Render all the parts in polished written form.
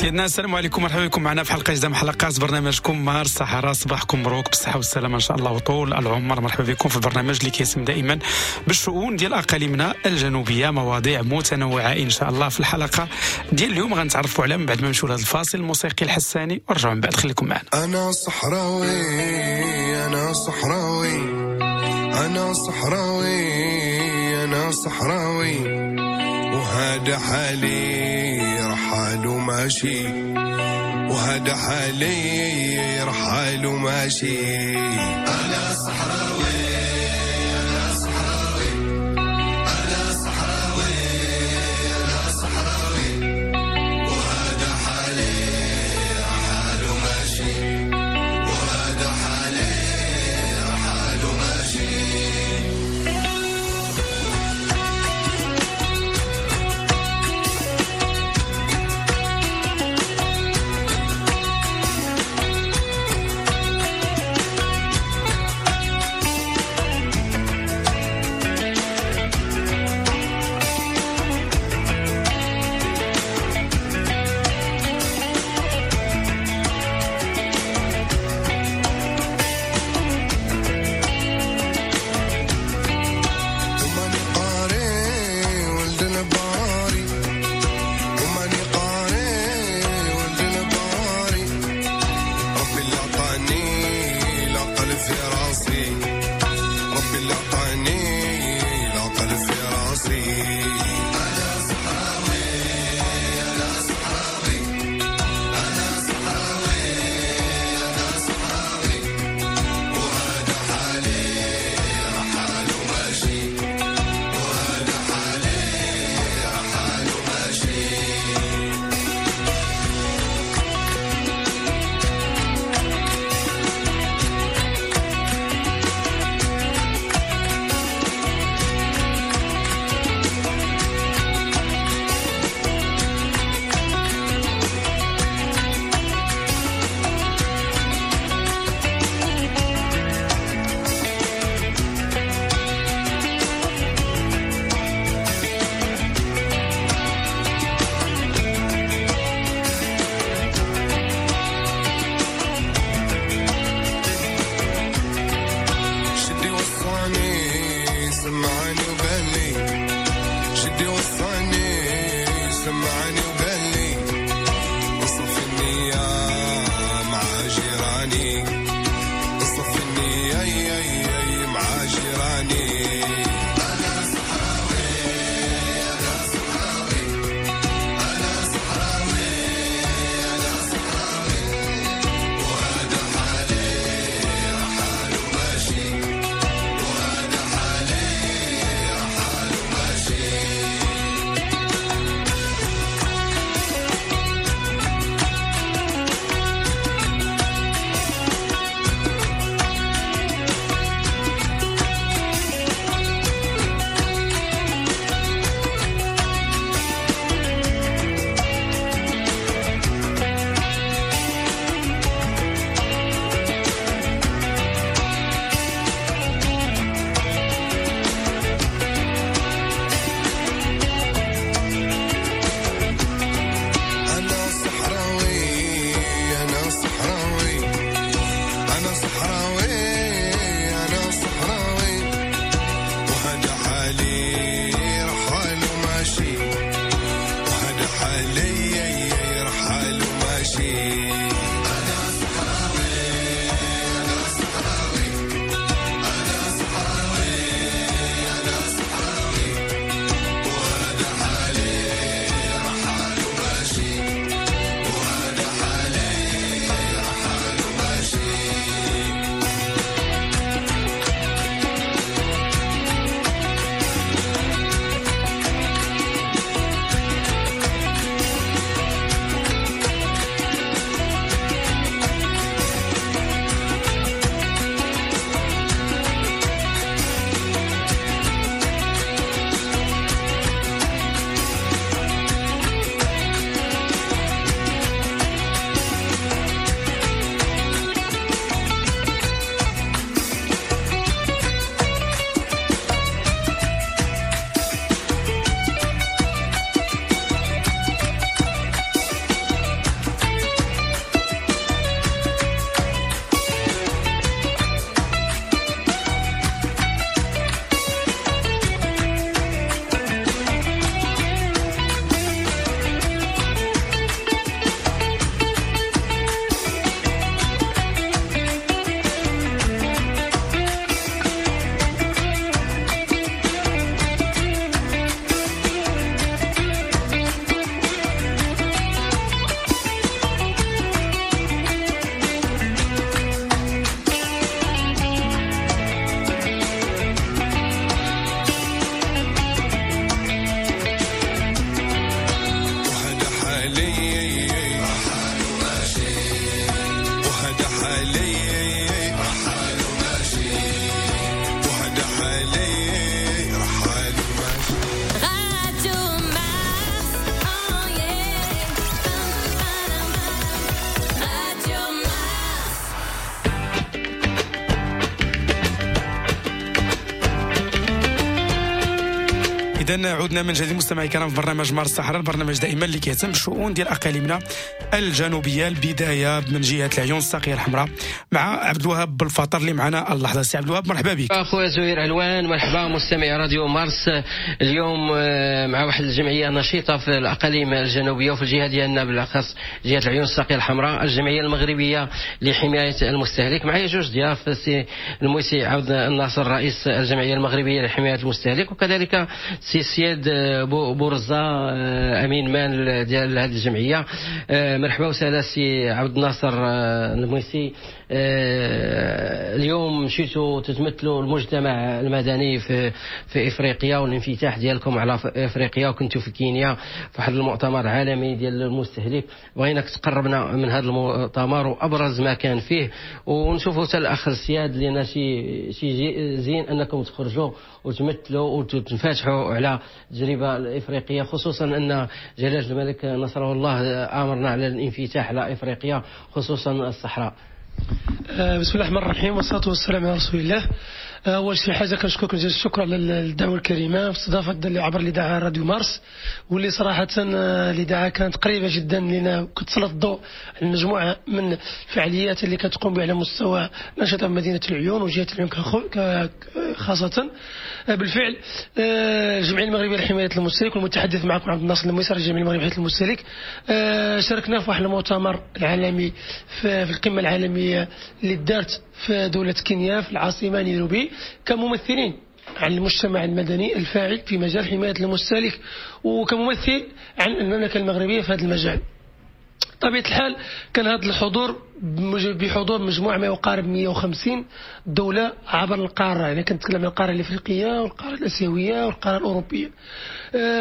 سيدنا، السلام عليكم، مرحبا بكم معنا في حلقة جديدة من حلقات برنامجكم مارس الصحراء. صباحكم مبروك بالصحة والسلامة ان شاء الله وطول العمر. مرحبا بكم في البرنامج اللي كيسم دائما بالشؤون ديال اقاليمنا الجنوبيه، مواضيع متنوعة ان شاء الله. في الحلقة ديال اليوم غنتعرفوا على من بعد ما نمشيو لهذا الفاصل الموسيقي الحساني ورجعوا من بعد، خليكم معنا. انا صحراوي، انا صحراوي، انا صحراوي، انا صحراوي، وهذا حالي رحال وماشي، وهذا حالي رحال وماشي. أنا صحراوي، أنا صحراوي، أنا صحراوي، أنا صحراوي، وهذا حالي رحال وماشي، وهذا حالي رحال وماشي. إذا عدنا من جديد مستمعي الكرام في برنامج مارس الصحراء، البرنامج دائما اللي كيهتم بالشؤون ديال اقاليمنا الجنوبية. البداية من جهة العيون الساقيه الحمراء مع عبد الوهاب بالفطر اللي معنا اللحظة. سي عبد الوهاب مرحبا بك. اخويا زهير علوان، مرحبا مستمعي راديو مارس. اليوم مع واحد الجمعية نشيطه في الاقاليم الجنوبية وفي الجهة ديالنا بالاخص جهة العيون الساقيه الحمراء، الجمعية المغربية لحماية المستهلك. معايا جوج ضياف، سي الموسي عبد الناصر رئيس الجمعية المغربية لحماية المستهلك، وكذلك سي سياد بورزا امين مال ديال هذه الجمعية. مرحبا وسهلا سي عبد الناصر الموسي. اليوم مشيتوا تتمثلوا المجتمع المدني في افريقيا والانفتاح ديالكم على افريقيا، وكنتوا في كينيا في واحد المؤتمر عالمي ديال المستهلك. بغيناك تقربنا من هذا المؤتمر وابرز ما كان فيه، ونشوفوا حتى الاخ السياد لان شي زين انكم تخرجوا وتمثلوا وتنفتحوا على التجربة الافريقية، خصوصا ان جلاله الملك نصره الله امرنا على الانفتاح على افريقيا خصوصا الصحراء. بسم الله الرحمن الرحيم والصلاة والسلام على رسول الله. أول شي حاجة كنشكركم جزيل الشكر على الدعوة الكريمة في استضافة عبر الإذاعة راديو مارس، واللي صراحة الإذاعة كانت قريبة جدا لنا، كتسلط الضوء على مجموعة من الفعاليات اللي كتقوم بها على مستوى الأنشطة مدينة العيون وجهة العيون خاصة. بالفعل الجمعية المغربية لحماية المستهلك والمتحدث معكم عبد الناصر الميسر الجمعية المغربية لحماية المستهلك، شاركنا في واحد المؤتمر العالمي في القمة العالمية اللي دارت في دولة كينيا في العاصمة نيروبي، كممثلين عن المجتمع المدني الفاعل في مجال حماية المستهلك وكممثل عن المملكة المغربية في هذا المجال. طبيعة الحال كان هذا الحضور بحضور مجموعة ما يقارب 150 دولة عبر القارة، يعني كنتكلم عن القارة الإفريقية والقارة الآسيوية والقارة الأوروبية.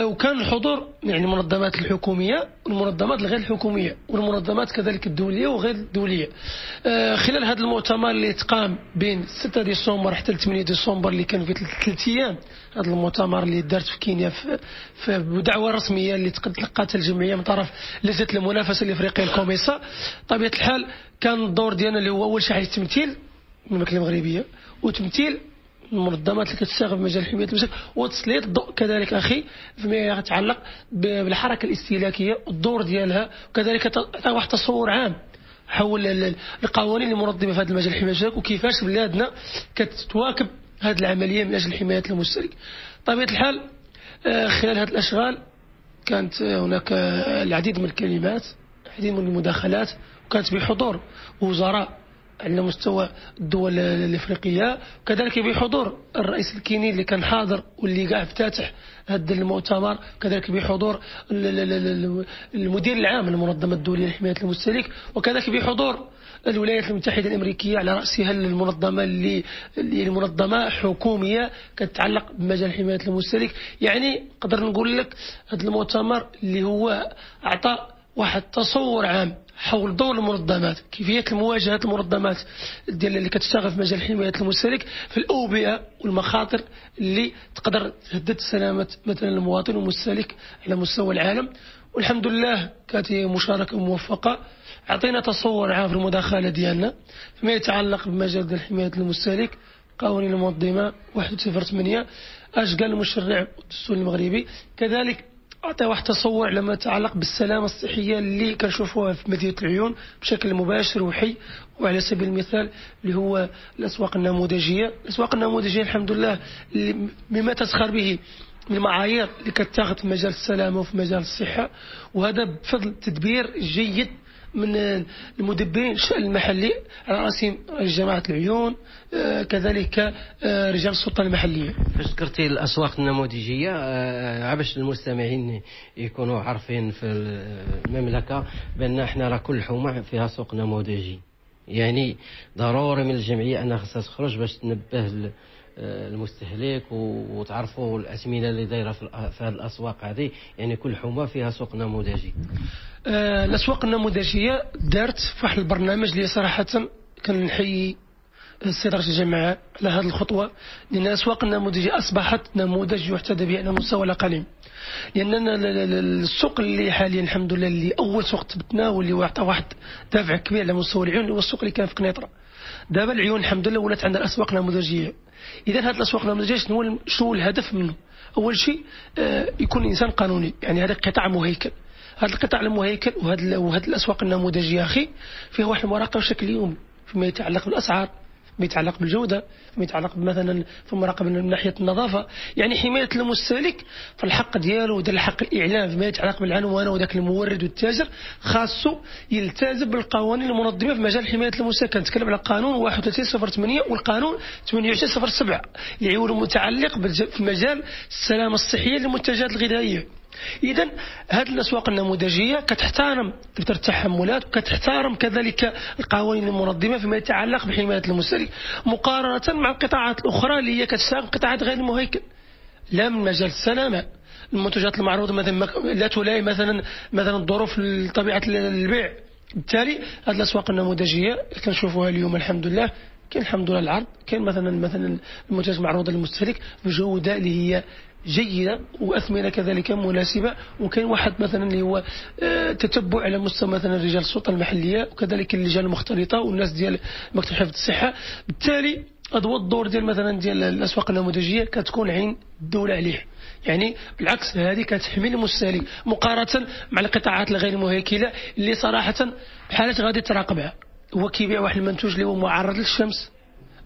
وكان الحضور يعني المنظمات الحكومية والمنظمات الغير الحكومية والمنظمات كذلك الدولية وغير الدولية. خلال هذا المؤتمر اللي تقام بين 6 ديسمبر حتى 8 ديسمبر اللي كان في 3 أيام، هذا المؤتمر اللي دارت في كينيا في بدعوة رسمية اللي تلقاتها الجمعية من طرف لجنة المنافسة الإفريقية الكوميسا. طبيعة الحال كان الدور ديالنا اللي هو أول شيء التمثيل المملكة المغربية وتمثيل المنظمات اللي كتشتغل في مجال حماية المستهلك وتسليط الضوء كذلك أخي فيما يتعلق بالحركة الاستهلاكية والدور ديالها، وكذلك واحد تصور عام حول القوانين المنظمة في هذا المجال حماية المستهلك وكيفاش بلادنا كتواكب هذه العملية من أجل حماية المستهلك. طبيعة الحال خلال هذه الأشغال كانت هناك العديد من الكلمات، العديد من المداخلات، وكانت بحضور وزراء على مستوى الدول الافريقية، وكذلك بحضور الرئيس الكيني اللي كان حاضر واللي قاع افتتح هذا المؤتمر، وكذلك بحضور المدير العام للمنظمة الدولية لحماية المستهلك، وكذلك بحضور الولايات المتحدة الامريكية على راسها المنظمة اللي المنظمة حكومية كتتعلق بمجال حماية المستهلك. يعني نقدر نقول لك هذا المؤتمر اللي هو اعطى واحد تصور عام حول دور المنظمات، كيفية المواجهة المنظمات ديال اللي كتشتغل في مجال حماية المستهلك في الأوبئة والمخاطر اللي تقدر تهدد سلامة مثلا المواطن والمستهلك على مستوى العالم. والحمد لله كانت مشاركة موفقة، عطينا تصور عام في المداخلة ديالنا فيما يتعلق بمجال ديال حماية المستهلك، قوانين المنظمة 108 اش قال المشرع والدستور المغربي، كذلك أعطي واحد تصور على ما يتعلق بالسلامة الصحية اللي كنشوفوها في مدينة العيون بشكل مباشر وحي، وعلى سبيل المثال اللي هو الأسواق النموذجية. الأسواق النموذجية الحمد لله بما تسخر به من المعايير اللي كتاخذ في مجال السلامة وفي مجال الصحة، وهذا بفضل تدبير جيد من المدبرين الشأن المحلي على رأسهم جماعة العيون، كذلك رجال السلطة المحلية. فاش ذكرتي الأسواق النموذجية، عباش المستمعين يكونوا عارفين في المملكة بأن احنا راه كل حومة فيها سوق نموذجي، يعني ضروري من الجمعية أنها خصها تخرج باش تنبه المستهلك وتعرفوا الأثمنة اللي دايرة في هذه الأسواق هذه، يعني كل حومة فيها سوق نموذجي. الأسواق النموذجية دارت في واحد البرنامج اللي صراحة كنحيي السيد رئيس الجماعة على هذه الخطوة، لأن الأسواق النموذجية أصبحت نموذج يحتذى به على مستوى الأقاليم، لأن السوق اللي حاليا الحمد لله اللي أول سوق تبتناه واللي عطى واحد دافع كبير على مستوى العيون هو السوق اللي كان في قنيطرة. دابا العيون الحمد لله ولات عندنا الاسواق النموذجيه. اذا هذه الاسواق النموذجيه شنو الهدف منه؟ اول شيء يكون الانسان قانوني، يعني هذا قطاع مهيكل. هذا القطاع المهيكل وهذه الاسواق النموذجيه اخي فيه واحد المراقبة بشكل يومي فيما يتعلق بالاسعار، فيما يتعلق بالجودة، فيما يتعلق مثلا في المراقبة من ناحية النظافة، يعني حماية المستهلك في الحق ديالو وديال الحق الاعلام فيما يتعلق بالعنوان وذاك المورد والتاجر خاصو يلتزم بالقوانين المنظمة في مجال حماية المستهلك. كنتكلم على قانون 31.08 والقانون 28.07 اللي هو المتعلق في مجال السلامة الصحية للمنتجات الغذائية. اذا هذه الاسواق النموذجيه كتحترم دفتر التحملات وكتحترم كذلك القوانين المنظمة فيما يتعلق بحمايه المستهلك، مقارنة مع القطاعات الاخرى اللي هي كتشتغل قطاعات غير المهيكل، لا من مجال السلامة، المنتجات المعروضة مثلا لا تلائم مثلا الظروف طبيعة البيع. بالتالي هذه الاسواق النموذجيه كنشوفوها اليوم الحمد لله، كاين الحمد لله العرض، كاين مثلا المنتج المعروض للمستهلك بجوده اللي هي جيدة واثمنه كذلك مناسبة، وكاين واحد مثلا اللي هو تتبع على مستوى مثلا رجال السلطة المحلية وكذلك اللجان المختلطة والناس ديال مكتب حفظ الصحة. بالتالي هذا هو الدور ديال مثلا ديال الاسواق النموذجيه، كتكون عين الدولة عليه، يعني بالعكس هذه كتحمي المستهلك مقارنة مع القطاعات الغير مهيكله اللي صراحة بحالات غادي تراقبها. هو كيبيع واحد المنتوج اللي هو معرض للشمس،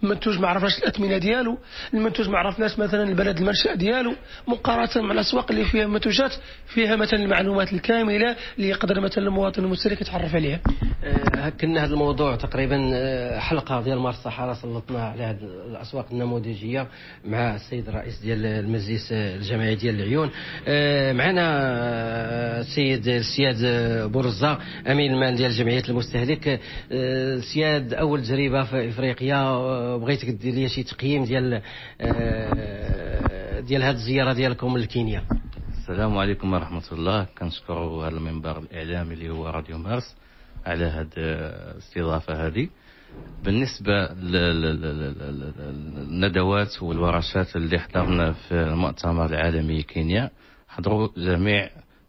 المنتوج ما عرفناش الاثمنه ديالو، المنتوج ما عرفناش مثلا البلد المنشأ ديالو، مقارنة مع الاسواق اللي فيها منتوجات فيها مثلا المعلومات الكاملة اللي يقدر مثلا المواطن المستهلك يتعرف عليها. كنا هذا الموضوع تقريبا حلقة ديال مارس الصحراء سلطنا على هذه الاسواق النموذجيه مع السيد الرئيس ديال المجلس الجماعي ديال العيون. معنا السيد السياد بورزا امين المال ديال جمعية المستهلك. السياد، اول تجربه في افريقيا، بغيتك دير لي شي تقييم ديال هذه الزيارة ديالكم لكينيا. السلام عليكم ورحمة الله. كنشكروا هذا المنبر الاعلامي اللي هو راديو مارس على هذه الاستضافة هذه. بالنسبة للندوات والورشات اللي حضرنا في المؤتمر العالمي كينيا، حضروا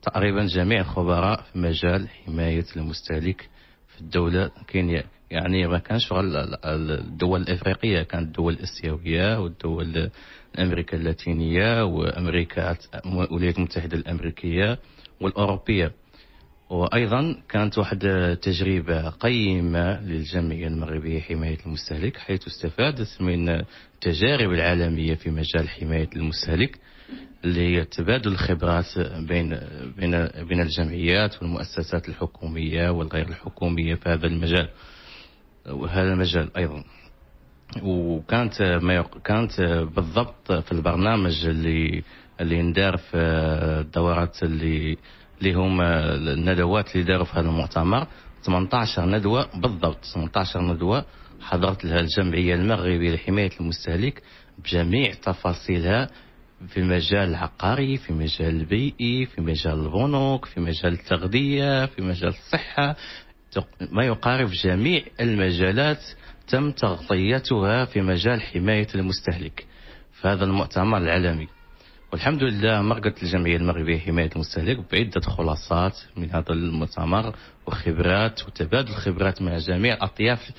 تقريبا جميع الخبراء في مجال حماية المستهلك في الدولة كينيا. يعني ما كانش غير الدول الافريقية، كانت الدول الاسيوية والدول الامريكا اللاتينية وامريكا الولايات المتحدة الامريكية والاوروبيه. وايضا كانت واحد تجربه قيمة للجمعية المغربية حماية المستهلك، حيث استفادت من التجارب العالمية في مجال حماية المستهلك اللي هي تبادل الخبرات بين بين بين الجمعيات والمؤسسات الحكومية والغير الحكومية في هذا المجال وهذا المجال ايضا. وكانت كانت بالضبط في البرنامج اللي ندار في الدورات اللي هما الندوات اللي داروا في هذا المؤتمر 18 ندوه بالضبط، 18 ندوه حضرت لها الجمعية المغربية لحماية المستهلك بجميع تفاصيلها في المجال العقاري، في المجال البيئي، في مجال البنوك، في مجال التغذية، في مجال الصحة، ما يقارب جميع المجالات تم تغطيتها في مجال حماية المستهلك في هذا المؤتمر العالمي. والحمد لله مرقت الجمعية المغربية لحماية المستهلك بعدة خلاصات من هذا المؤتمر وخبرات وتبادل خبرات مع جميع الأطياف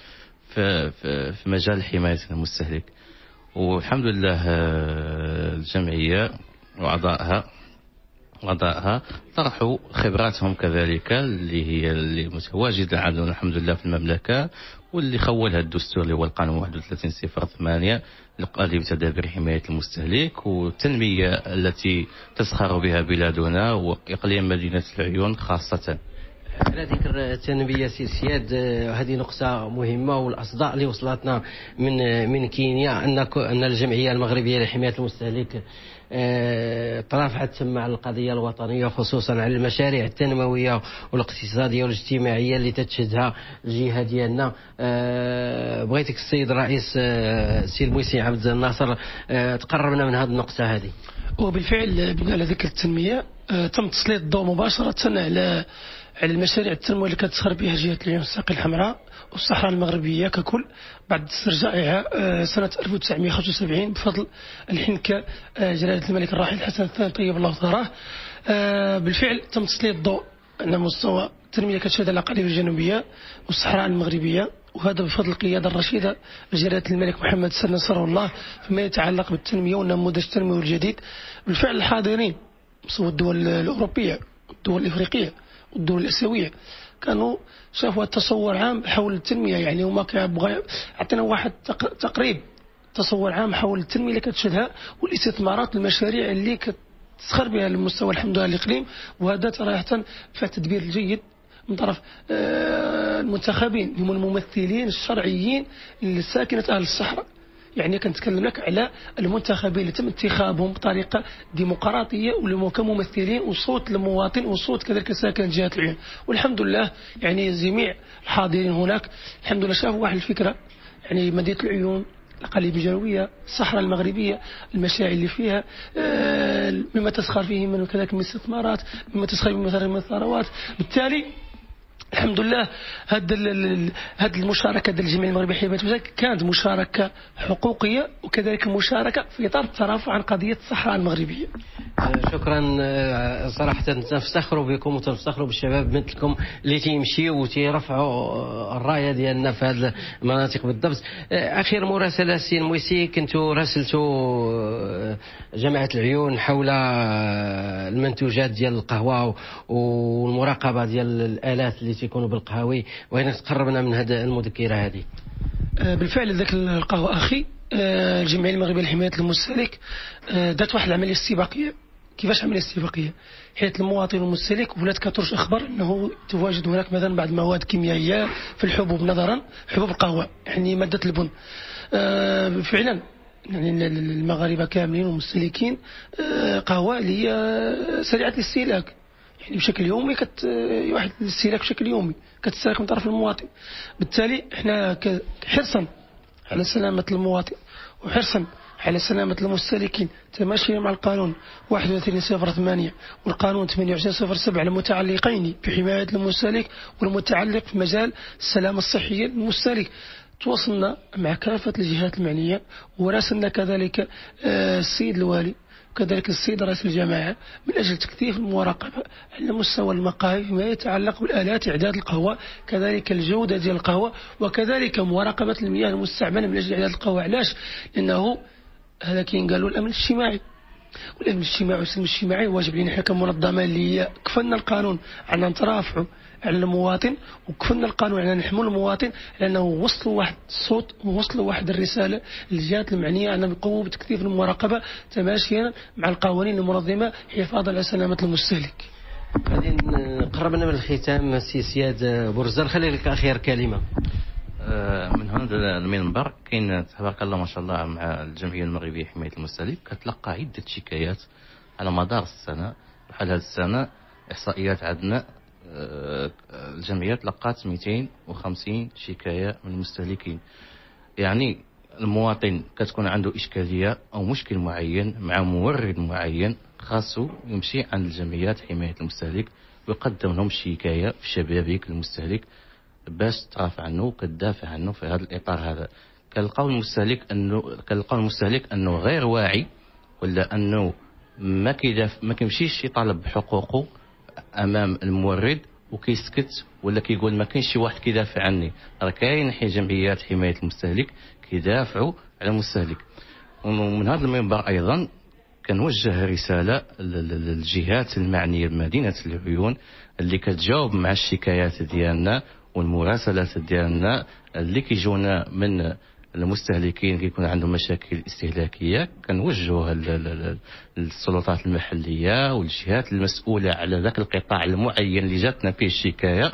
في مجال حماية المستهلك. والحمد لله الجمعية وأعضائها طرحوا خبراتهم كذلك اللي هي اللي متواجدة عندنا الحمد لله في المملكة، واللي خولها الدستور اللي هو القانون 31.08 القاضي بتدابير حماية المستهلك والتنمية التي تزخر بها بلادنا وإقليم مدينة العيون خاصة. على ذكر التنمية سي سياد، هذه نقطة مهمة، والأصداء اللي وصلتنا من كينيا أن الجمعية المغربية لحماية المستهلك ترافعت تما على القضية الوطنية، خصوصا على المشاريع التنموية والاقتصادية والاجتماعية اللي تتشهدها الجهة ديالنا. بغيتك السيد الرئيس السي الموسي عبد الناصر تقربنا من هذه النقطة هذه. وبالفعل على ذكر التنمية تم تسليط الضوء مباشرة على المشاريع التنموية اللي كتسخر بها جهة العيون الساقية الحمراء والصحراء المغربية ككل بعد استرجاعها سنة 1975 بفضل الحنكة جلالة الملك الراحل الحسن الثاني طيب الله ثراه. بالفعل تم تسليط الضوء على مستوى التنمية كتشهد الأقاليم الجنوبية والصحراء المغربية وهذا بفضل القيادة الرشيدة لجلالة الملك محمد السادس نصره الله فيما يتعلق بالتنمية والنموذج التنموي الجديد. بالفعل الحاضرين سواء الدول الأوروبية والدول الإفريقية والدول الآسيوية كانوا شافوا التصور عام حول التنمية، يعني هما كيبغوا عطينا واحد تقريب تصور عام حول التنمية اللي كتشهدها والاستثمارات المشاريع اللي كتسخر بها المستوى الحمد لله الإقليم. وهذا صراحة فيه التدبير الجيد من طرف المنتخبين هم الممثلين الشرعيين لساكنة أهل الصحراء. يعني كنتكلم لك على المنتخبين اللي تم انتخابهم بطريقة ديمقراطية كممثلين وصوت المواطن وصوت كذلك ساكن جهة العيون. والحمد لله يعني جميع الحاضرين هناك الحمد لله شافوا واحد الفكرة، يعني مدينة العيون، الأقاليم الجنوبية، الصحراء المغربية، المشاريع اللي فيها، مما تسخر فيه من كذلك من استثمارات، مما تسخر فيه من الثروات. بالتالي الحمد لله هاد المشاركة ديال الجمعية المغربية لحماية المستهلك كانت مشاركة حقوقيه وكذلك مشاركة في اطار الترافع عن قضية الصحراء المغربية. شكرا. صراحة تنفتخروا بكم وتنفتخروا بالشباب مثلكم اللي تيمشيو وتيرفعوا الراية ديالنا في هذه المناطق بالضبط. اخر مراسله سي المويسي، كنتو راسلتوا جامعه العيون حول المنتوجات ديال القهوة والمراقبة ديال الالات اللي تيكونوا بالقهاوي، وين تقربنا من هذه المذكرة هذه؟ بالفعل ذاك القهوة اخي، الجمعية المغربية لحماية المستهلك دارت واحد العملية استباقية. كيفاش عملية استباقية؟ حيث المواطن المستهلك ولات كترج اخبار انه تواجد هناك مثلا بعض المواد الكيميائية في الحبوب، نظرا حبوب القهوة يعني مادة البن. فعلا يعني المغاربة كاملين والمستهلكين قهوة اللي هي سريعة الاستهلاك، يعني بشكل يومي واحد الاستهلاك بشكل يومي كتستهلك من طرف المواطن. بالتالي احنا حرصا على سلامة المواطن وحرصا على سلامة المستهلكين تماشيا مع القانون 31.08 والقانون 28.07 المتعلقين بحماية المستهلك والمتعلق في مجال السلامة الصحية للمستهلك، تواصلنا مع كافة الجهات المعنية وراسلنا كذلك السيد الوالي وكذلك السيد رئيس الجماعة من أجل تكثيف المراقبة على مستوى المقاهي فيما يتعلق بالآلات إعداد القهوة، كذلك الجودة ديال القهوة، وكذلك مراقبة المياه المستعملة من أجل إعداد القهوة. علاش؟ لأنه هذا كاين قالوا الأمن الاجتماعي، والأمن الاجتماعي والسلم الاجتماعي واجب علينا حنا كمنظمة اللي هي كفلنا القانون على نترافعوا على المواطن، وكفلنا القانون على نحموا المواطن، لأنه وصلوا واحد الصوت ووصلوا واحد الرسالة للجهات المعنية أن نقوموا بتكثيف المراقبة تماشيا مع القوانين المنظمة حفاظا على سلامة المستهلك. غادي قربنا من الختام سي سياد بورزان، خلي لك أخير كلمة. من هنا المنبر كاين تبارك الله ما شاء الله مع الجمعية المغربية لحماية المستهلك كتلقى عدة شكايات على مدار السنة. بحال هذه السنة إحصائيات عندنا الجمعية تلقات 250 شكاية من المستهلكين. يعني المواطن كتكون عنده إشكالية أو مشكل معين مع مورد معين، خاصو يمشي عند الجمعيات حماية المستهلك ويقدم لهم شكاية في شبابيك المستهلك باش ترافع عنه وكتدافع عنه. في هذا الإطار هذا كنلقاو المستهلك أنه غير واعي، ولا أنه ما كيمشيش يطالب بحقوقه امام المورد وكيسكت، ولا كيقول ما كاينش شي واحد كيدافع عني. راه كاين جمعيات حماية المستهلك كيدافعوا على المستهلك. ومن هذا المنبر ايضا كنوجه رسالة للجهات المعنية بمدينة العيون اللي كتجاوب مع الشكايات ديالنا والمراسلات ديالنا اللي كيجونا من المستهلكين كيكون عندهم مشاكل استهلاكية، كنوجهوها للسلطات المحلية والجهات المسؤولة على ذاك القطاع المعين اللي جاتنا فيه الشكاية،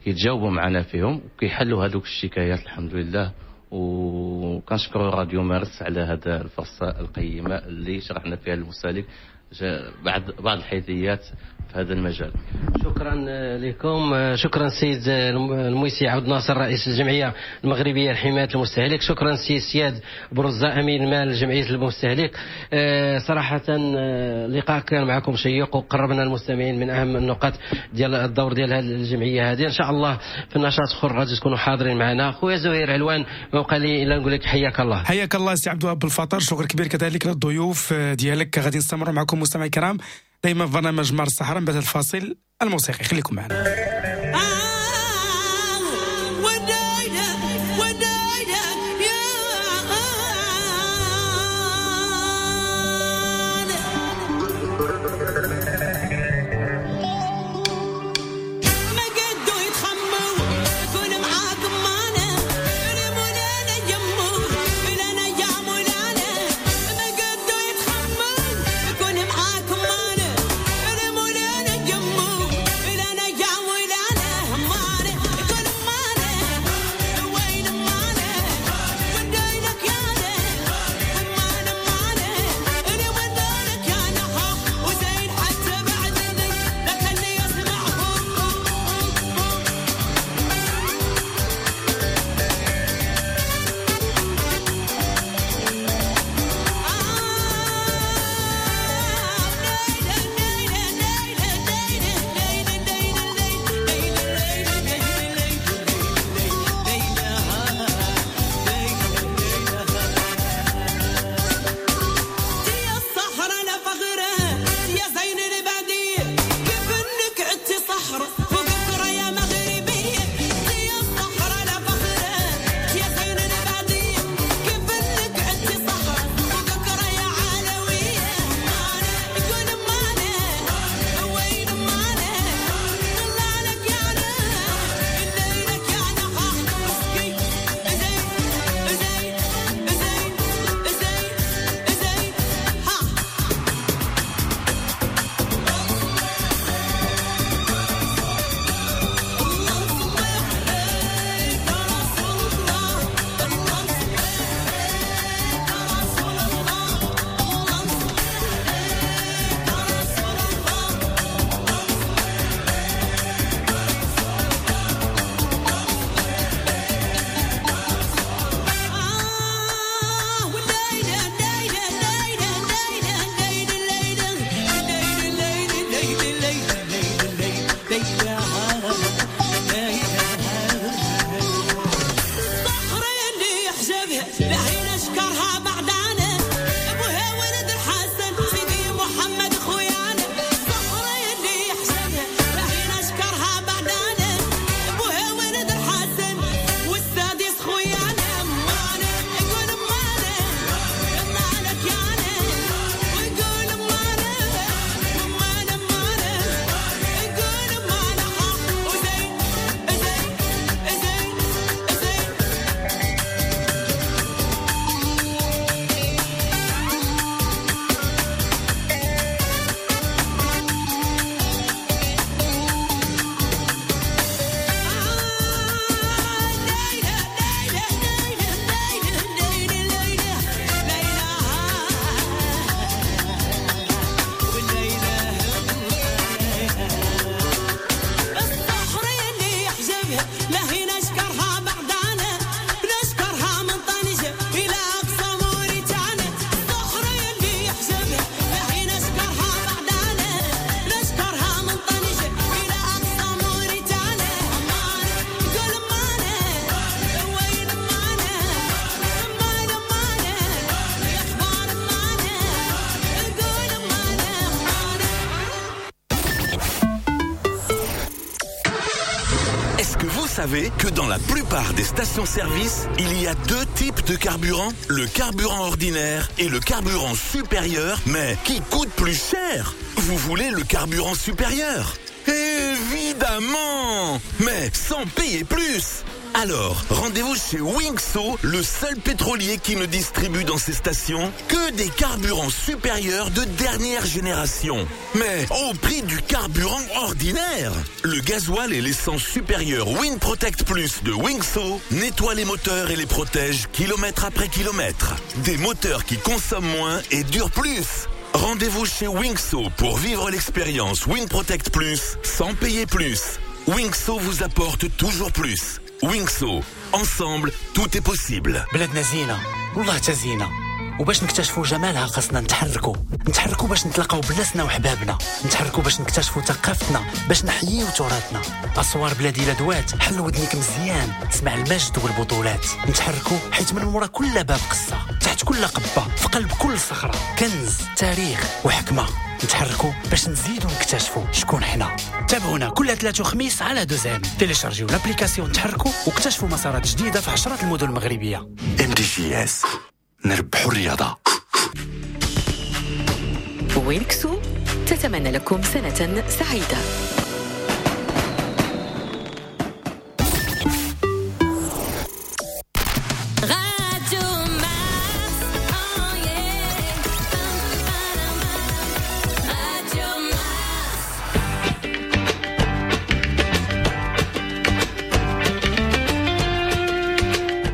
كيتجاوبوا معنا فيهم وكيحلوا هذوك الشكايات الحمد لله. وكنشكروا راديو مارس على هذا الفرصة القيمة اللي شرحنا فيها للمستهلك بعض الحيثيات في هذا المجال. شكرا لكم. شكرا سيد المويسي عبد الناصر رئيس الجمعية المغربية لحماية المستهلك، شكرا سي سياد برزة أمين مال جمعية المستهلك. صراحة اللقاء كان معكم شيق وقربنا المستمعين من أهم النقاط ديال الدور ديال هذه الجمعية هذه. إن شاء الله في النشاط اخر غادي تكونوا حاضرين معنا. خويا زهير علوان، ما بقى لي إلا نقول لك حياك الله. حياك الله سي عبد الوهاب بالفطر، شكر كبير كذلك للضيوف ديالك. غادي نستمروا معكم مستمعي الكرام دائما في برنامج مارس الصحراء بعد الفاصل الموسيقي، خليكم معنا. savez que dans la plupart des stations-service, il y a deux types de carburant? Le carburant ordinaire et le carburant supérieur, mais qui coûte plus cher. Vous voulez le carburant supérieur? Évidemment! Mais sans payer plus! Alors, rendez-vous chez Wingso, le seul pétrolier qui ne distribue dans ses stations que des carburants supérieurs de dernière génération. Mais au prix du carburant ordinaire. Le gasoil et l'essence supérieure Win Protect Plus de Wingso nettoient les moteurs et les protègent kilomètre après kilomètre. Des moteurs qui consomment moins et durent plus. Rendez-vous chez Wingso pour vivre l'expérience Win Protect Plus sans payer plus. Wingso vous apporte toujours plus. Wingso, ensemble, tout est possible. بلادنا زينة، والله تزينة، وباش نكتشفوا جمالها خاصنا نتحركوا باش نتلاقاو بناسنا وحبابنا، نتحركوا باش نكتشفوا ثقافتنا، باش نحييو تراثنا. أسوار بلادي لا دوات، حل ودنيك مزيان، تسمع المجد والبطولات. نتحركوا حيت من مورا كل باب قصة، تحت كل قبة، في قلب كل صخرة كنز، تاريخ وحكمة. نتحركوا باش نزيدوا نكتشفوا شكون حنا. تابعونا كل ثلاث وخميس على دوزام. téléchargez l'application نتحركوا واكتشفوا مسارات جديدة في عشرات المدن المغربية. MDJS، نربحوا الرياضة. وينكسو تتمنى لكم سنة سعيدة.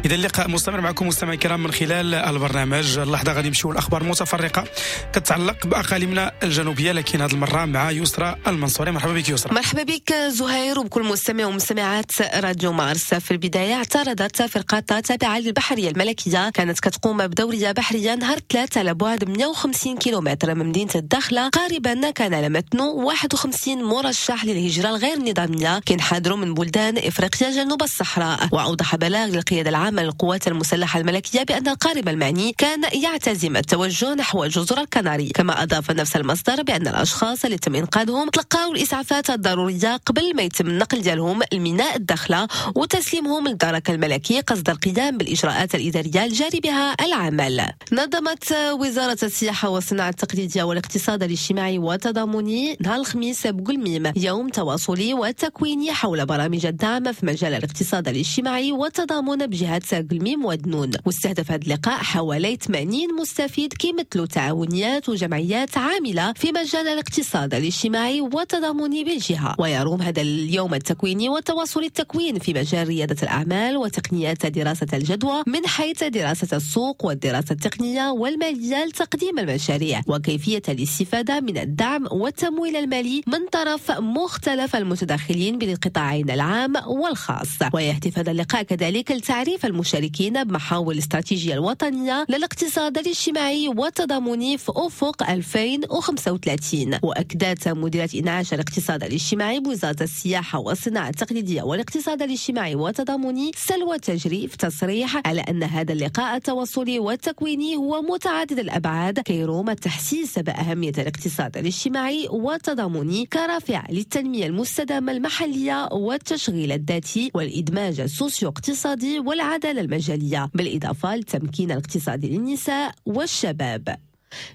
إذا اللقاء مستمر معكم مستمعي الكرام من خلال البرنامج. اللحظة غادي نمشيو الأخبار المتفرقة كتعلق بأقاليمنا الجنوبية، لكن هذه المرة مع يسرى المنصوري. مرحبا بك يسرى. مرحبا بك زهير وبكل مستمع ومستمعات راديو مارس. في البداية اعترضت فرقة تابعة للبحرية الملكية كانت كتقوم بدورية بحرية نهار 3 على بعد 150 كيلومتر من مدينة الداخلة قاربا كان على متنه 51 مرشح للهجرة الغير نظامية كينحدروا من بلدان إفريقيا جنوب الصحراء. وأوضح بلاغ للقيادة العامة للقوات المسلحة الملكية بأن القارب المعني كان يعتزم التوجه نحو جزر الكناري. كما أضاف نفس المصدر بأن الأشخاص اللي تم إنقاذهم تلقاو الإسعافات الضرورية قبل ما يتم النقل ديالهم لميناء الداخلة وتسليمهم للدرك الملكي قصد القيام بالإجراءات الإدارية الجاري بها العمل. نظمت وزارة السياحة والصناعة التقليدية والاقتصاد الاجتماعي والتضامني نهار الخميس بقلميم يوم تواصلي وتكويني حول برامج الدعم في مجال الاقتصاد الاجتماعي والتضامن بجهة قلميم ودنون. واستهدف هذا اللقاء حوالي 80 مستفيد كيمثلوا تعاونيات وجمعيات عاملة في مجال الاقتصاد الاجتماعي والتضامني بالجهة. ويروم هذا اليوم التكويني والتواصل التكوين في مجال ريادة الأعمال وتقنيات دراسة الجدوى من حيث دراسة السوق والدراسة التقنية والمالية لتقديم المشاريع وكيفية الاستفادة من الدعم والتمويل المالي من طرف مختلف المتدخلين بالقطاعين العام والخاص. ويهدف هذا اللقاء كذلك لتعريف المشاركين بمحاور الاستراتيجية الوطنية للاقتصاد الاجتماعي والتضامني في أفق 2035. وأكدت مديرة إنعاش الاقتصاد الاجتماعي بوزارة السياحة والصناعة التقليدية والاقتصاد الاجتماعي والتضامني سلوى تجري في تصريح على أن هذا اللقاء التواصلي والتكويني هو متعدد الأبعاد كيروم التحسيس بأهمية الاقتصاد الاجتماعي والتضامني كرافع للتنمية المستدامة المحلية والتشغيل الذاتي والإدماج السوسيو اقتصادي والعدالة المجالية، بالإضافة للتمكين الاقتصادي للنساء والشباب.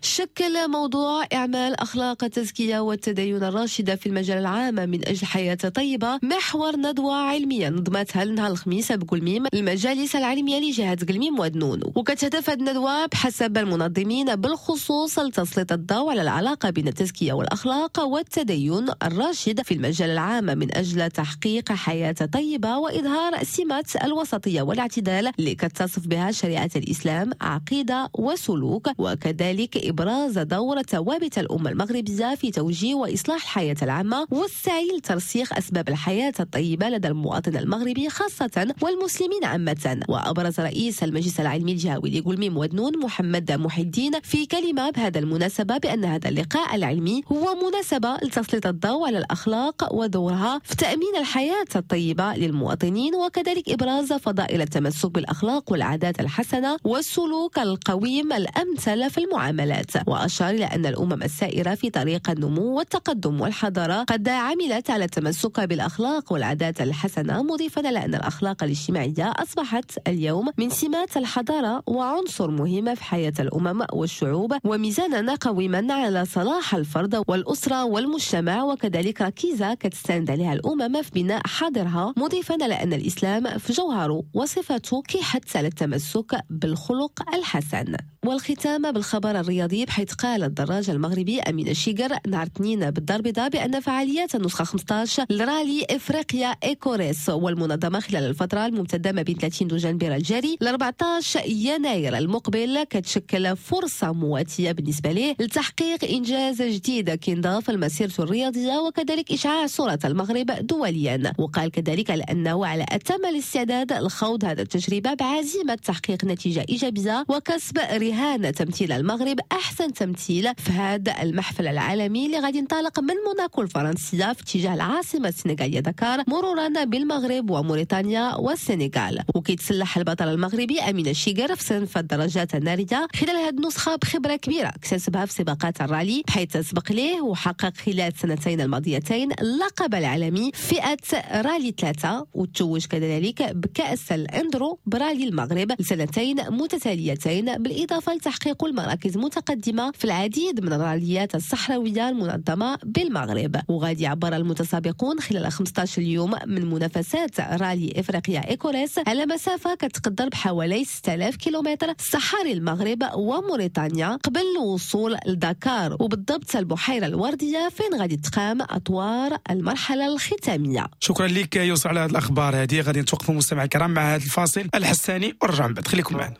شكل موضوع إعمال أخلاق التزكية والتدين الراشدة في المجال العام من أجل حياة طيبة محور ندوة علمية نظمتها نهار الخميس بقلميم المجالس العلمية لجهة قلميم ودنون. وكتهدف الندوة بحسب المنظمين بالخصوص لتسليط الضوء على العلاقة بين التزكية والأخلاق والتدين الراشد في المجال العام من أجل تحقيق حياة طيبة وإظهار سمة الوسطية والاعتدال اللي كتصف بها شريعة الإسلام عقيدة وسلوك، وكذلك إبراز دور ثوابت الأمة المغربية في توجيه وإصلاح الحياة العامة والسعي لترسيخ أسباب الحياة الطيبة لدى المواطن المغربي خاصة والمسلمين عامة. وأبرز رئيس المجلس العلمي الجهوي لقلميم ودنون محمد محي الدين في كلمة بهذا المناسبة بأن هذا اللقاء العلمي هو مناسبة لتسليط الضوء على الأخلاق ودورها في تأمين الحياة الطيبة للمواطنين، وكذلك إبراز فضائل التمسك بالأخلاق والعادات الحسنة والسلوك القويم الأمثل في المعاملة. المعاملات. وأشار إلى أن الأمم السائرة في طريق النمو والتقدم والحضارة قد عملت على التمسك بالأخلاق والعادات الحسنة، مضيفا على أن الأخلاق الاجتماعية أصبحت اليوم من سمات الحضارة وعنصر مهم في حياة الأمم والشعوب، وميزانا قويما على صلاح الفرد والأسرة والمجتمع، وكذلك ركيزة كتستند عليها الأمم في بناء حاضرها، مضيفا على أن الإسلام في جوهره وصفته كيحث على التمسك بالخلق الحسن. والختام بالخبر الرياضي، بحيث قال الدراج المغربي أمين الشيقر نهار اثنين بالدار البيضاء بأن فعاليات النسخة 15 لرالي إفريقيا Eco Race والمنظمة خلال الفترة الممتدة ما بين 30 دجنبر الجاري ل 14 يناير المقبل كتشكل فرصة مواتية بالنسبة له لتحقيق إنجاز جديد كينضاف لمسيرته الرياضية وكذلك إشعاع صورة المغرب دوليا. وقال كذلك على أنه على أتم الاستعداد لخوض هذا التجربة بعزيمة تحقيق نتيجة إيجابية وكسب رهان تمثيل المغرب أحسن تمثيل في هذا المحفل العالمي اللي غادي ينطلق من موناكو الفرنسية في اتجاه العاصمة السنغالية دكار، مرورا بالمغرب وموريتانيا والسنغال. وكيتسلح البطل المغربي أمين الشيقر في صنف الدراجات النارية خلال هذه النسخة بخبرة كبيرة اكتسبها في سباقات الرالي، بحيث سبق ليه وحقق خلال السنتين الماضيتين اللقب العالمي فئة رالي 3، وتوج كذلك بكأس الأندرو برالي المغرب لسنتين متتاليتين، بالإضافة لتحقيق المراكز متقدمة في العديد من الراليات الصحراوية المنظمة بالمغرب. وغادي يعبر المتسابقون خلال 15 يوم من منافسات رالي إفريقيا Eco Race على مسافة كتقدر بحوالي 6000 كيلومتر صحاري المغرب وموريتانيا قبل الوصول لدكار، وبالضبط البحيرة الوردية فين غادي تقام أطوار المرحلة الختامية. شكرا لك يوسف على هذه الأخبار هذه. غادي نتوقفوا مستمعي الكرام مع هذا الفاصل الحساني ونرجع من بعد، خليكم معنا.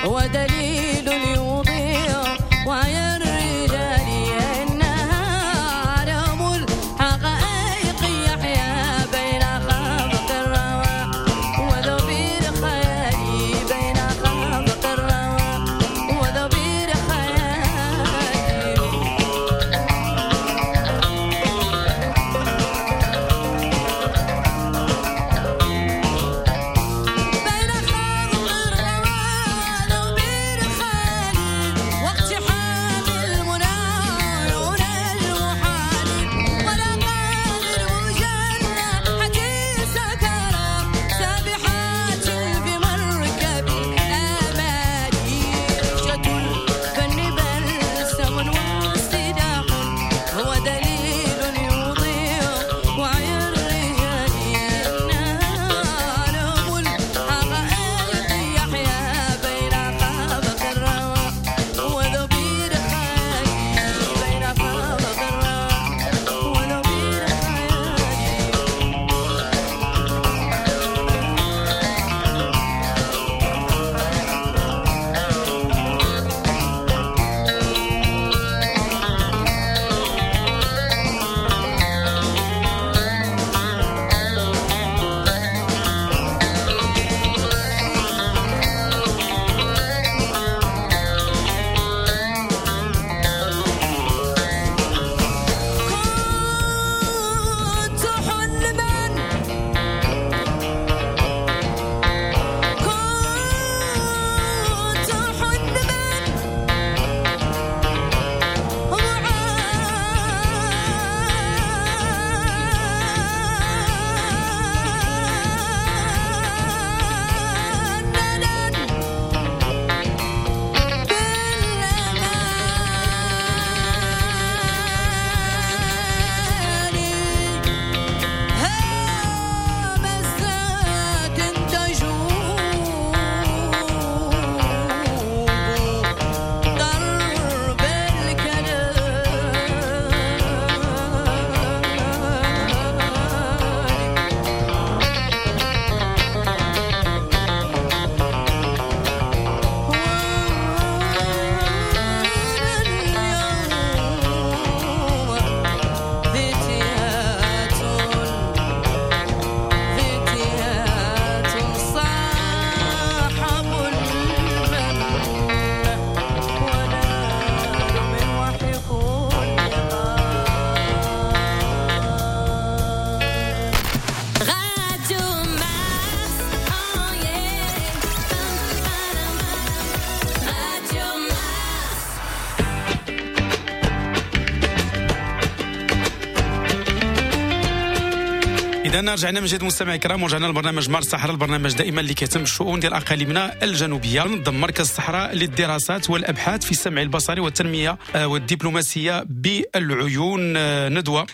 ودليل يضيع وعي الرجال إنها علم الحقائق. اذا رجعنا من جديد مستمعي الكرام، ورجعنا لبرنامج مارس الصحراء، البرنامج دائما اللي كيهتم بالشؤون ديال اقاليمنا الجنوبية. نظم مركز الصحراء للدراسات والابحاث في السمع البصري والتنمية والدبلوماسية بالعيون ندوه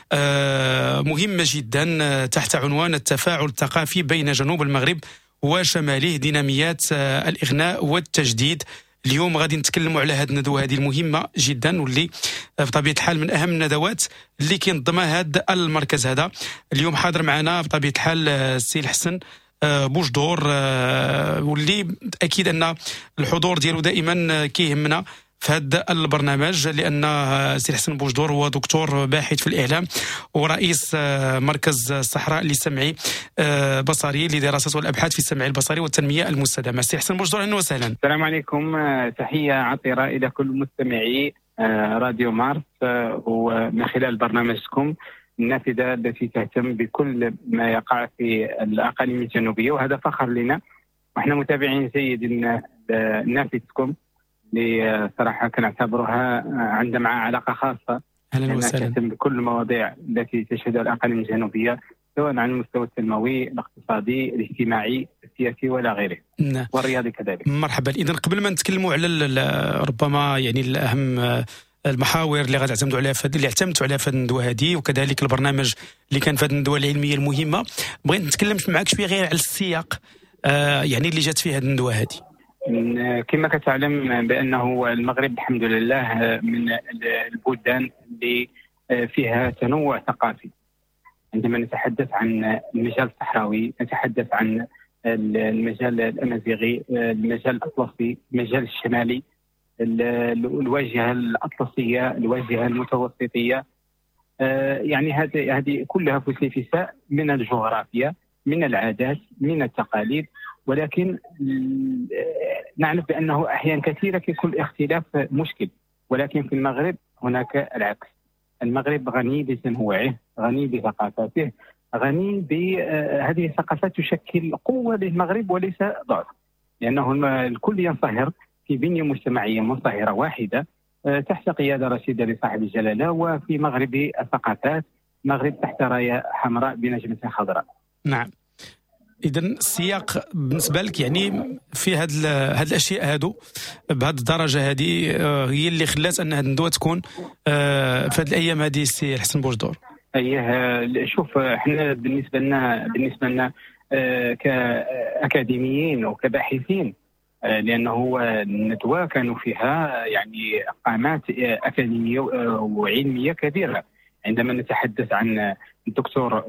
مهمة جدا تحت عنوان التفاعل الثقافي بين جنوب المغرب وشماله، ديناميات الاغناء والتجديد. اليوم غادي نتكلموا على هذه الندوة هذه المهمة جدا، واللي بطبيعة الحال من اهم الندوات اللي كينظمها هذا المركز هذا. اليوم حاضر معنا بطبيعة الحال السي الحسن بوجدور، واللي اكيد ان الحضور ديالو دائما كيهمنا في هذا البرنامج، لان السي الحسن بوجدور هو دكتور باحث في الاعلام ورئيس مركز الصحراء للسمعي بصري لدراسات والابحاث في السمع البصري والتنمية المستدامة. السي الحسن بوجدور، اهلا وسهلا. السلام عليكم، تحية عطره الى كل مستمعي راديو مارس، ومن خلال برنامجكم النافذة التي تهتم بكل ما يقع في الاقاليم الجنوبية، وهذا فخر لنا واحنا متابعين جيد نافذتكم اللي صراحة كنعتبرها عندها معها علاقة خاصة. اهلا وسهلا. تهتم بكل المواضيع التي تشهدها الاقاليم الجنوبية، سواء على المستوى التنموي، الاقتصادي، الاجتماعي، السياسي ولا غيره. نعم. والرياضي كذلك. مرحبا. اذا قبل ما نتكلموا على ربما يعني الاهم المحاور اللي غتعتمدوا عليها اللي اعتمدتوا عليها في هذه الندوة هذه، وكذلك البرنامج اللي كان في هذه الندوة العلمية المهمة، بغيت نتكلم معك شوية غير على السياق يعني اللي جات فيه هذه الندوة هذه. كما كتعلم بأنه المغرب الحمد لله من البلدان اللي فيها تنوع ثقافي. عندما نتحدث عن المجال الصحراوي، نتحدث عن المجال الأمازيغي، المجال الأطلسي، المجال الشمالي، الواجهة الأطلسية، الواجهة المتوسطية، يعني هذه كلها فسيفساء من الجغرافيا، من العادات، من التقاليد. ولكن نعرف بأنه أحيانا كثيرة كيكون الاختلاف مشكل، ولكن في المغرب هناك العكس. المغرب غني بتنوعه، غني بثقافاته، غني بهذه الثقافات تشكل قوة للمغرب وليس ضعف، لأنه الكل ينصهر في بنية مجتمعية منصهرة واحدة تحت قيادة رشيدة لصاحب الجلالة، وفي مغرب الثقافات، مغرب تحت راية حمراء بنجمة خضراء. نعم. إذا السياق بالنسبة لك يعني في هاد الأشياء هادو بهاد الدرجة هذه هي اللي خلات أن هاد الندوة تكون في هاد الأيام هذه السي الحسن بوجدور. أيه، شوف احنا بالنسبة لنا كأكاديميين وكباحثين، لأنه الندوة كانوا فيها يعني قامات أكاديمية وعلمية كبيرة. عندما نتحدث عن الدكتور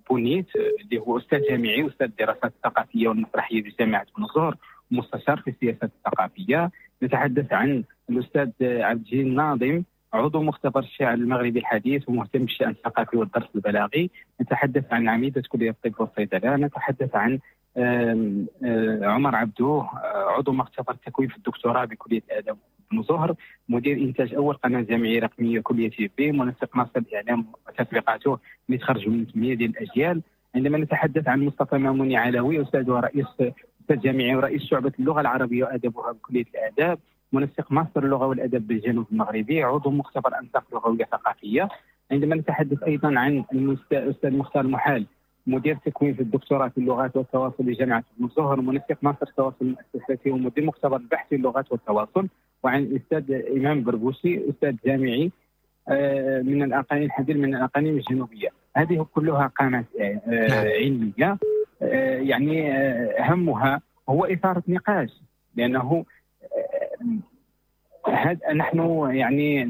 بونيت اللي هو أستاذ جامعي، أستاذ الدراسات الثقافية والمسرحية بجامعة بن زهر، مستشار في السياسات الثقافية. نتحدث عن الأستاذ عبد الجليل الناظم، عضو مختبر الشعر المغربي الحديث ومهتم بالشأن الثقافي والدرس البلاغي. نتحدث عن عميدة كلية الطب والصيدلة. نتحدث عن عمر عبدوه، عضو مختبر التكوين في الدكتوراه بكلية الآداب بن زهر، مدير إنتاج أول قناة جامعية رقمية كلية بي، منسق ماستر الإعلام وتطبيقاته اللي تخرجوا من 8 ديال الأجيال. عندما نتحدث عن مصطفى ماموني علوي، أستاذ ورئيس أستاذ جامعي ورئيس شعبة اللغة العربية وأدبها بكلية الآداب، منسق ماستر اللغة والأدب بالجنوب المغربي، عضو مختبر أنساق لغوية ثقافية. عندما نتحدث أيضا عن الأستاذ مختار المحال، مدير تكوين في الدكتوراه في اللغات والتواصل بجامعة بن زهر، منسق ماستر التواصل المؤسساتي ومدير مختبر البحث في اللغات والتواصل. وعن الأستاذ إمام بربوسي، أستاذ جامعي من الأقاليم الحديث من الأقاليم الجنوبية. هذه كلها قامات علمية، يعني همها هو إثارة نقاش، لأنه نحن يعني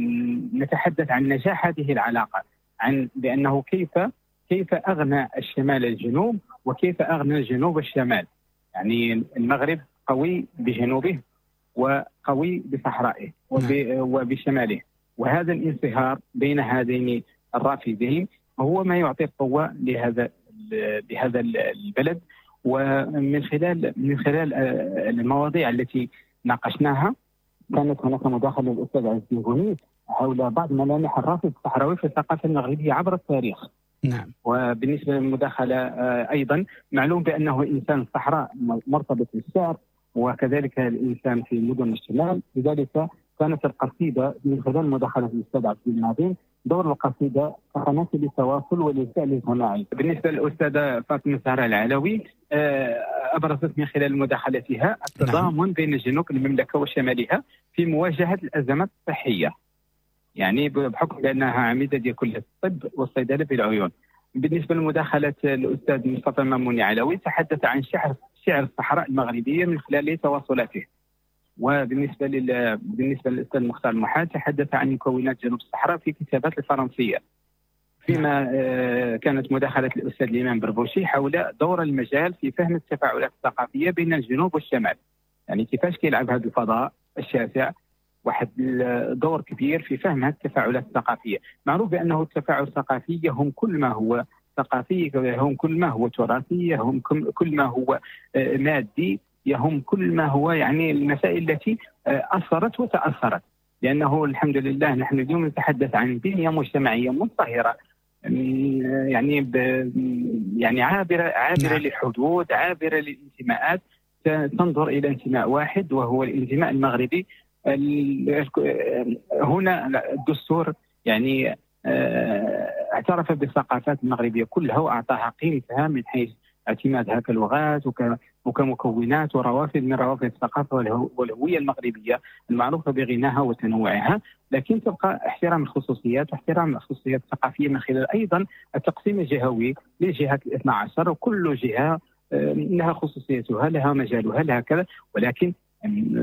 نتحدث عن نجاح هذه العلاقة، عن بأنه كيف أغنى الشمال الجنوب وكيف أغنى الجنوب الشمال. يعني المغرب قوي بجنوبه وقوي بصحرائه وبشماله، وهذا الانصهار بين هذين الرافدين هو ما يعطي القوة لهذا البلد. ومن خلال المواضيع التي ناقشناها كانت هناك مداخلة للأستاذ عز الدين بونيت حول بعض ملامح الرافد الصحراوي في الثقافة المغربية عبر التاريخ. نعم. وبالنسبة للمداخلة أيضا معلوم بأنه إنسان الصحراء مرتبط بالشعر، وكذلك الإنسان في مدن الشمال، لذلك كانت القصيدة من خلال مداخلة الأستاذ عبد الناظم دور القصيدة كقناة للتواصل وللفعل الجماعي. بالنسبة للأستاذة فاطمة الزهراء العلوي أبرزت من خلال مداخلتها التضامن بين جنوب المملكة وشمالها في مواجهة الأزمات الصحية، يعني بحكم بأنها عميدة ديال كلية الطب والصيدلة بالعيون. بالنسبة لمداخلة الأستاذ مصطفى ماموني علوي تحدث عن شعر الصحراء المغربية من خلال تواصلاته. وبالنسبة للأستاذ مختار المحال تحدث عن مكونات جنوب الصحراء في كتابات الفرنسية. فيما كانت مداخلة الأستاذ الإمام بربوشي حول دور المجال في فهم التفاعلات الثقافية بين الجنوب والشمال، يعني كيفاش كيلعب هذا الفضاء الشاسع واحد الدور كبير في فهم هذه التفاعلات الثقافية. معروف بأنه التفاعل الثقافي يهم كل ما هو ثقافي، يهم كل ما هو تراثي، يهم كل ما هو مادي، يهم كل ما هو يعني المسائل التي أثرت وتأثرت، لأنه الحمد لله نحن اليوم نتحدث عن بنية مجتمعية منصهرة، يعني يعني عابرة للحدود، عابرة للانتماءات، تنظر إلى انتماء واحد وهو الانتماء المغربي. هنا الدستور يعني اعترف بالثقافات المغربية كلها وأعطاها قيمتها من حيث اعتمادها كلغات وكمكونات وروافد من روافد الثقافة والهوية المغربية المعروفة بغناها وتنوعها، لكن تبقى احترام الخصوصيات واحترام الخصوصيات الثقافية من خلال أيضا التقسيم الجهوي للجهات 12، وكل جهة لها خصوصيتها، لها مجالها، لها كذا، ولكن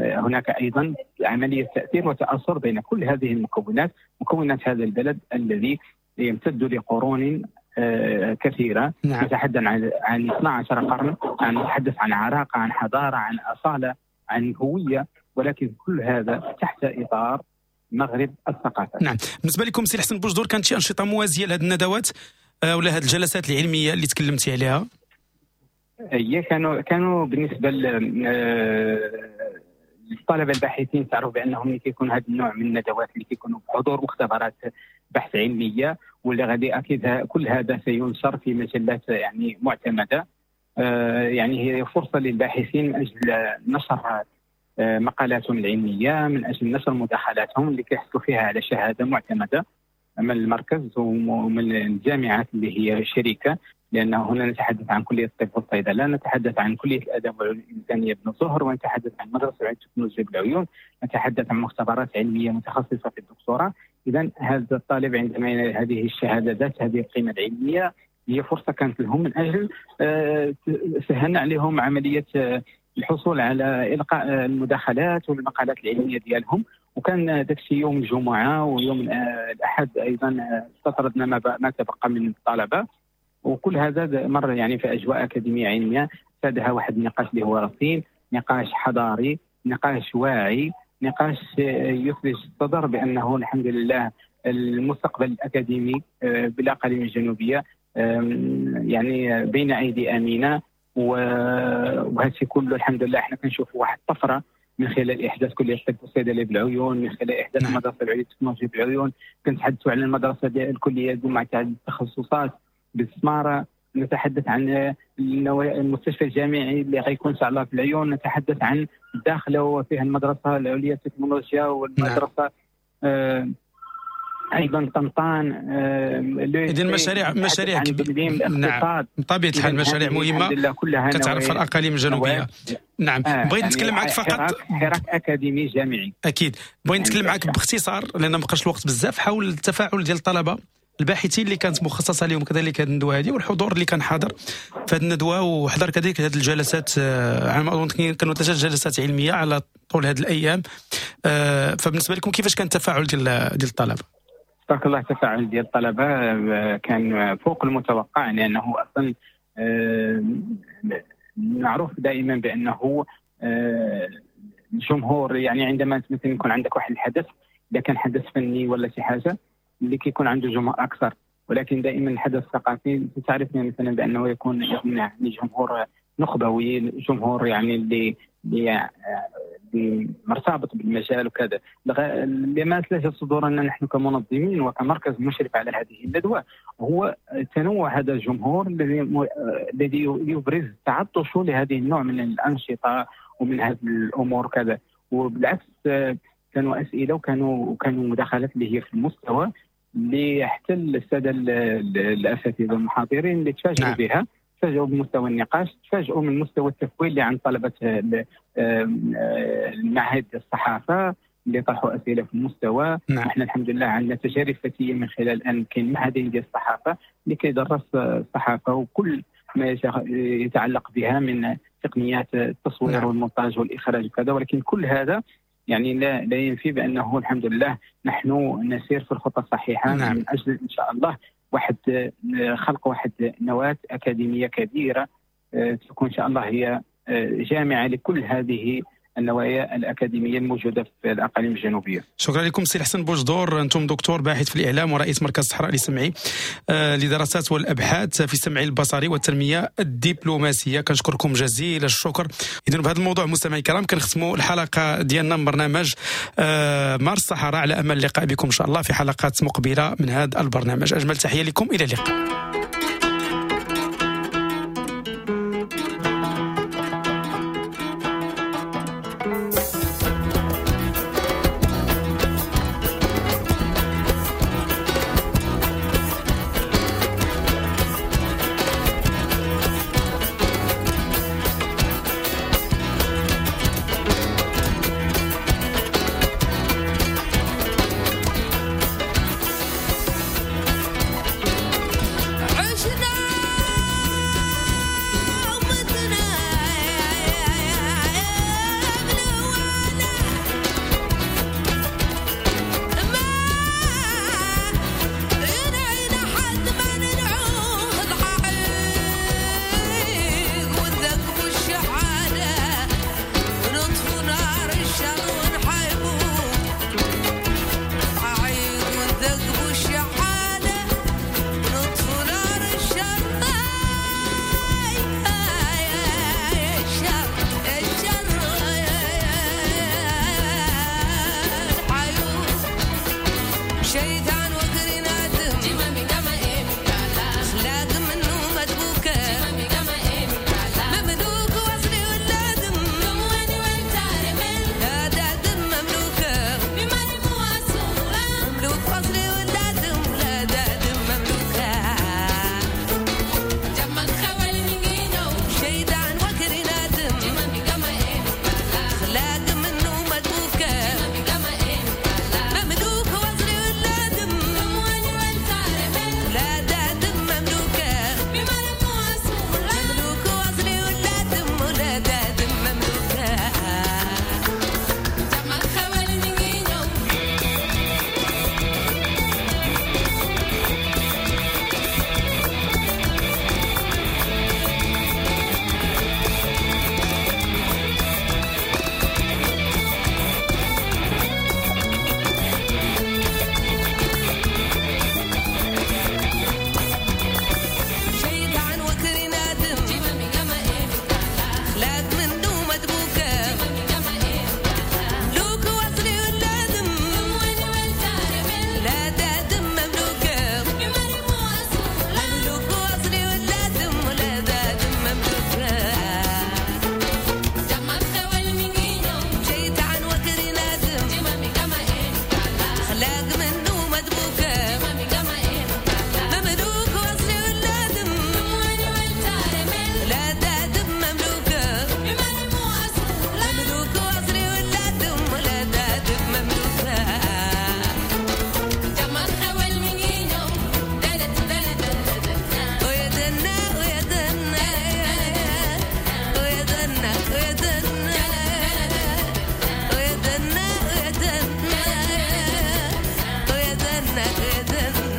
هناك أيضا عملية تأثير وتأثر بين كل هذه المكونات، مكونات هذا البلد الذي يمتد لقرون كثيرة. نعم. نتحدث عن 12 قرن، نتحدث عن عراقة، عن حضارة، عن أصالة، عن هوية، ولكن كل هذا تحت إطار مغرب الثقافة. نعم. بالنسبة لكم سي الحسن بوجدور، كانت شي أنشطة موازية لهذه الندوات ولا هذه الجلسات العلمية اللي تكلمتي عليها؟ هي كانوا بالنسبة للطلبة الباحثين، تعرف بأنهم اللي كيكون هذا النوع من الندوات اللي كيكونوا بحضور مختبرات بحث علمية، واللي غادي أكيد كل هذا سينشر في مجلات يعني معتمدة. يعني هي فرصة للباحثين من أجل نشر مقالاتهم العلمية، من أجل نشر مداخلاتهم اللي كيحصلوا فيها على شهادة معتمدة من المركز ومن الجامعات اللي هي شريكة، لأن هنا نتحدث عن كلية الطب والصيدلة، نتحدث عن كلية الآداب والعلوم الإنسانية بن زهر، ونتحدث عن مدرسة العلوم التكنولوجيا بالعيون، نتحدث عن مختبرات علمية متخصصة في الدكتوراه. إذا هذا الطالب عندما ينال هذه الشهادة ذات هذه القيمة العلمية، هي فرصة كانت لهم من أجل سهلنا عليهم عملية الحصول على إلقاء المداخلات والمقالات العلمية ديالهم. وكان داكشي يوم الجمعة ويوم الأحد أيضا استطردنا ما تبقى من الطلبة، وكل هذا مر يعني في أجواء أكاديمية علمية سادها واحد النقاش اللي هو رصين، نقاش حضاري، نقاش واعي، نقاش يثلج الصدر بأنه الحمد لله المستقبل الأكاديمي بالأقاليم الجنوبية يعني بين أيدي أمينة. وهذا الشيء كله الحمد لله احنا كنشوفوا واحد الطفرة من خلال إحداث كلية الطب والصيدلة بالعيون، من خلال إحداث المدرسة العليا للتكنولوجيا بالعيون، كنتحدثوا على المدرسة الكلية مع التخصصات بالسمارة، نتحدث عن المستشفى الجامعي اللي غيكون ان شاء الله في العيون، نتحدث عن الداخلة وفيها المدرسة العليا للتكنولوجيا والمدرسة ايضا طنطان. اذن مشاريع نعم بطبيعة الحال مشاريع مهمة كتعرف الاقاليم الجنوبية. نعم. بغيت نتكلم معك فقط حراك اكاديمي جامعي. اكيد بغيت نتكلم معك باختصار لان ما بقاش الوقت بزاف حول التفاعل ديال الطلبة الباحثين اللي كانت مخصصة لهم كذلك هذه الندوة هذه، والحضور اللي كان حاضر في هذه الندوة وحضر كذلك هذه الجلسات. على ما اظن كانوا 3 جلسات علمية على طول هذه الايام. فبالنسبه لكم كيفاش كان التفاعل ديال الطلبة؟ تبارك الله التفاعل ديال الطلبة كان فوق المتوقع، لانه اصلا معروف دائما بانه الجمهور يعني عندما مثلا يكون عندك واحد الحدث، اذا كان حدث فني ولا شي حاجة اللي كيكون عنده جمهور اكثر، ولكن دائما الحدث الثقافي تعرف مثلا بانه يكون يعني جمهور نخبوي، جمهور يعني اللي مرتبط بالمجال وكذا. لما ثلاثة صدورنا نحن كمنظمين وكمركز مشرف على هذه الندوة هو تنوع هذا الجمهور الذي يبرز تعطشه لهذه النوع من الأنشطة ومن هذه الأمور كذا. وبالعكس كانوا أسئلة وكانوا مداخلات اللي هي في المستوى. اللي حتى السادة الاساتذة المحاضرين اللي تفاجئوا بها، تفاجئوا بمستوى النقاش، تفاجئوا من مستوى التكوين اللي عند طلبه المعهد الصحافة اللي طرحوا اسئلة في المستوى. احنا الحمد لله عندنا تجارب فتية من خلال ان كاين معهدين ديال الصحافة اللي كيدرس الصحافة وكل ما يتعلق بها من تقنيات التصوير والمونتاج والاخراج وكذا، ولكن كل هذا يعني لا ينفي بانه الحمد لله نحن نسير في الخطة الصحيحة من اجل ان شاء الله واحد خلق واحد نواه اكاديمية كبيرة تكون ان شاء الله هي جامعه لكل هذه النوايا الأكاديمية الموجودة في الأقاليم الجنوبية. شكرا لكم سي الحسن بوجدور، أنتم دكتور باحث في الإعلام ورئيس مركز الصحراء للسمعي لدراسات والأبحاث في السمع البصري والتنمية الدبلوماسية. كنشكركم جزيل الشكر. إذن بهذا الموضوع مستمعي الكرام كنختموا الحلقة ديالنا من برنامج مارس الصحراء، على أمل اللقاء بكم إن شاء الله في حلقات مقبلة من هذا البرنامج. أجمل تحية لكم، إلى اللقاء.